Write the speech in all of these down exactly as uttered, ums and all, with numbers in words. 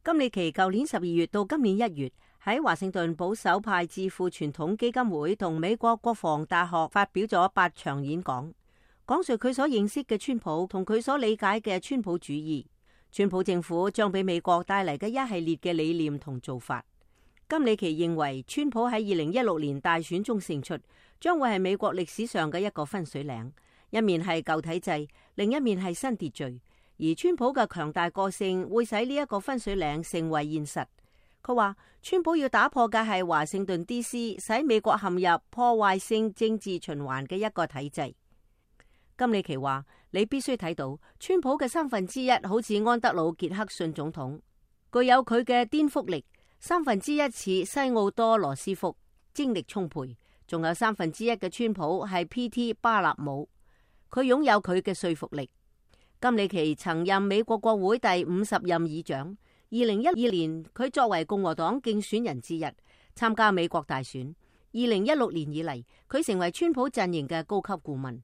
金里奇舊年十二月到今年一月喺華盛頓保守派智庫傳統基金會同美國國防大學發表咗八場演講，講述佢所認識嘅川普同佢所理解嘅川普主義，川普政府將俾美國帶嚟嘅一系列嘅理念同做法。金里奇認為川普喺二零一六年大選中勝出，將會係美國歷史上嘅一個分水嶺，一面係舊體制，另一面係新秩序。而川普嘅強大個性會使呢一個分水嶺成為現實。佢話川普要打破嘅係華盛頓 D C 使美國陷入破壞性政治循環嘅一個體制。金里奇話你必須睇到川普嘅三分之一好似安德魯傑克遜總統，具有佢嘅顛覆力；三分之一似西奧多羅斯福，精力充沛；仲有三分之一嘅川普係 P T 巴納姆，佢擁有佢嘅說服力。金里奇曾任美國國會第五十任議長，二零一二年佢作為共和黨競選人之一參加美國大選。二零一六年以嚟，佢成為川普陣營嘅高級顧問。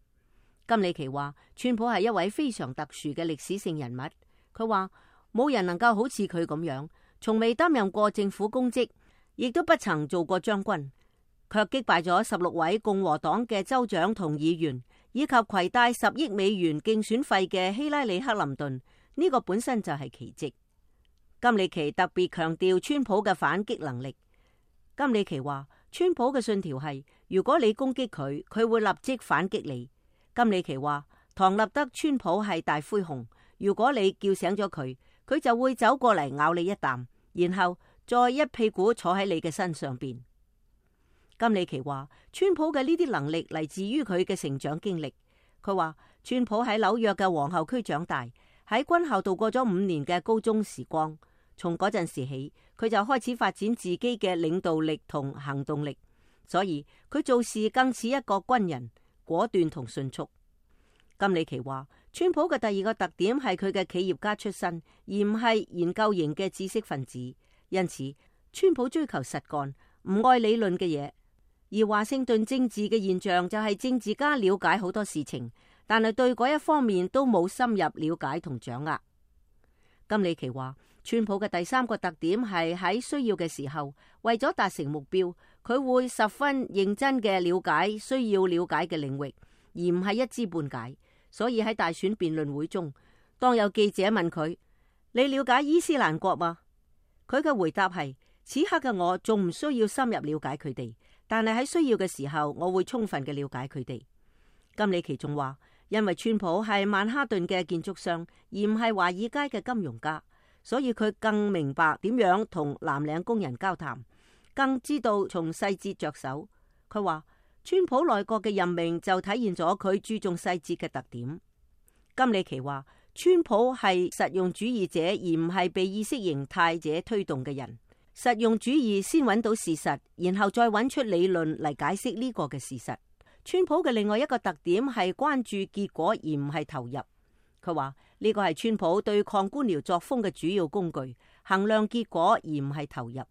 金里奇話川普係一位非常特殊嘅歷史性人物。佢話冇人能夠好似佢咁樣，從未擔任過政府公職，亦都不曾做過將軍，卻擊敗咗十六位共和黨嘅州長同議員，以及攜帶十億美元競選費嘅希拉里克林頓，呢個本身就係奇蹟。金里奇特別強調川普嘅反擊能力。金里奇話川普嘅信條係，如果你攻擊佢，佢會立即反擊你。金里奇話唐納德川普係大灰熊，如果你叫醒咗佢，佢就會走過嚟咬你一啖，然後再一屁股坐喺你嘅身上邊。金里奇話川普嘅呢啲能力嚟自於佢嘅成長經歷。佢話川普喺紐約嘅皇后區長大，喺軍校度過咗五年嘅高中時光。從嗰陣時起，佢就開始發展自己嘅領導力同行動力，所以佢做事更似一個軍人，果斷同迅速。金里奇話川普嘅第二個特點係佢嘅企業家出身，而唔係研究型嘅知識分子。因此川普追求實幹，唔愛理論嘅嘢。而華盛頓政治嘅現象就係政治家了解好多事情，但係對嗰一方面都冇深入了解同掌握。金里奇話川普嘅第三個特點係喺需要嘅時候，為咗達成目標，佢會十分認真嘅了解需要了解嘅領域，而唔係一知半解。所以喺大選辯論會中，當有記者問佢，你了解伊斯蘭國嗎？佢嘅回答係，此刻嘅我仲唔需要深入了解佢哋，但係喺需要嘅時候，我會充分嘅了解佢哋。金里奇仲話，因為川普係曼哈頓嘅建築商，而唔係華爾街嘅金融家，所以佢更明白點樣同藍領工人交談，更知道從細節着手。佢話川普內閣嘅任命就體現咗佢注重細節嘅特點。金里奇話川普係實用主義者，而唔係被意識形態者推動嘅人。實用主義先揾到事實，然後再揾出理論嚟解釋呢個嘅事實。川普嘅另外一個特點係關注結果，而唔係投入。佢話呢個係川普對抗官僚作風嘅主要工具，衡量結果而唔係投入。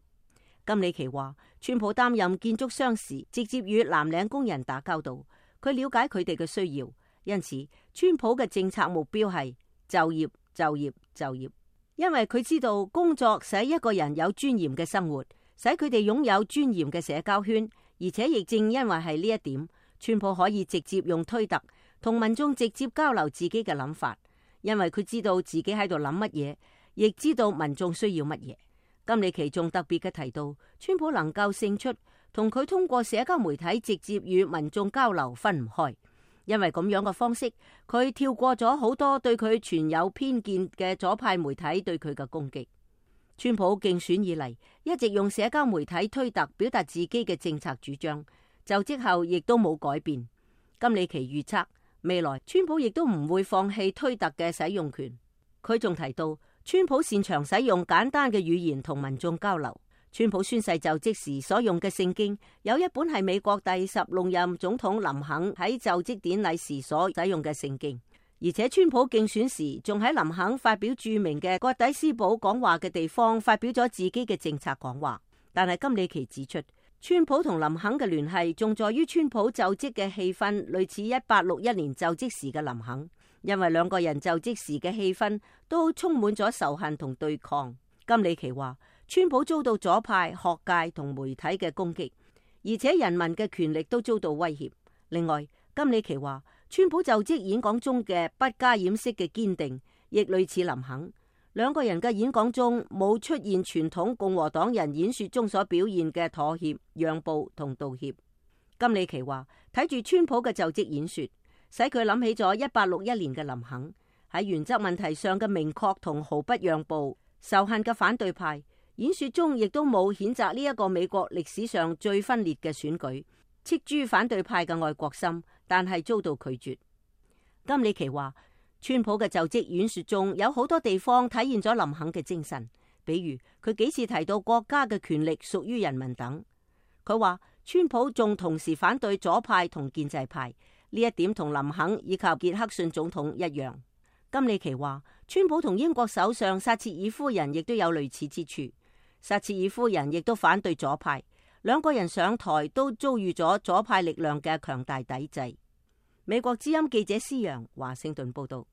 金里奇話川普擔任建築商時，直接與藍領工人打交道，佢了解佢哋嘅需要，因此川普嘅政策目標係就業、就業、就業。因為佢知道工作使一個人有尊嚴嘅生活，使佢哋擁有尊嚴嘅社交圈，而且亦正因為係呢一點，川普可以直接用推特同民眾直接交流自己嘅諗法，因為佢知道自己喺度諗乜嘢，亦知道民眾需要乜嘢。金里奇仲特別嘅提到，川普能夠勝出，同佢通過社交媒體直接與民眾交流分唔開，因為咁樣嘅方式，佢跳過咗好多對佢存有偏見嘅左派媒體對佢嘅攻擊。川普競選以嚟，一直用社交媒體推特表達自己嘅政策主張，就職後亦都冇改變。金里奇預測未來川普亦都唔會放棄推特嘅使用權。佢仲提到川普擅長使用簡單嘅語言同民眾交流。川普宣誓就職時所用嘅聖經，有一本係美國第十六任總統林肯喺就職典禮時所使用嘅聖經，而且川普競選時仲喺林肯發表著名嘅葛底斯堡講話嘅地方發表咗自己嘅政策講話。但係金里奇指出，川普同林肯嘅聯繫仲在於川普就職嘅氣氛類似一八六一年就職時嘅林肯，因為兩個人就職時嘅氣氛都充滿咗仇恨同對抗。金里奇話，川普遭到左派、學界同媒體嘅攻擊，而且人民嘅權力都遭到威脅。另外，金里奇話，川普就職演講中嘅不加掩飾嘅堅定，亦類似林肯。兩個人嘅演講中冇出現傳統共和黨人演說中所表現嘅妥協、讓步同道歉。金里奇話，睇住川普嘅就職演說，使佢諗起咗一八六一年嘅林肯，喺原則問題上嘅明確同毫不讓步。仇恨嘅反對派演說中亦都冇譴責呢一個美國歷史上最分裂嘅選舉，斥諸反對派嘅愛國心，但係遭到拒絕。金里奇話，川普嘅就職演說中有好多地方體現咗林肯嘅精神，比如佢幾次提到國家嘅權力屬於人民等。佢話川普仲同時反對左派同建制派，呢一點同林肯以及傑克遜總統一樣。金里奇話，川普同英國首相撒切爾夫人亦都有類似之處，撒切爾夫人亦都反對左派，兩個人上台都遭遇咗左派力量嘅強大抵制。美國之音記者施洋華盛頓報道。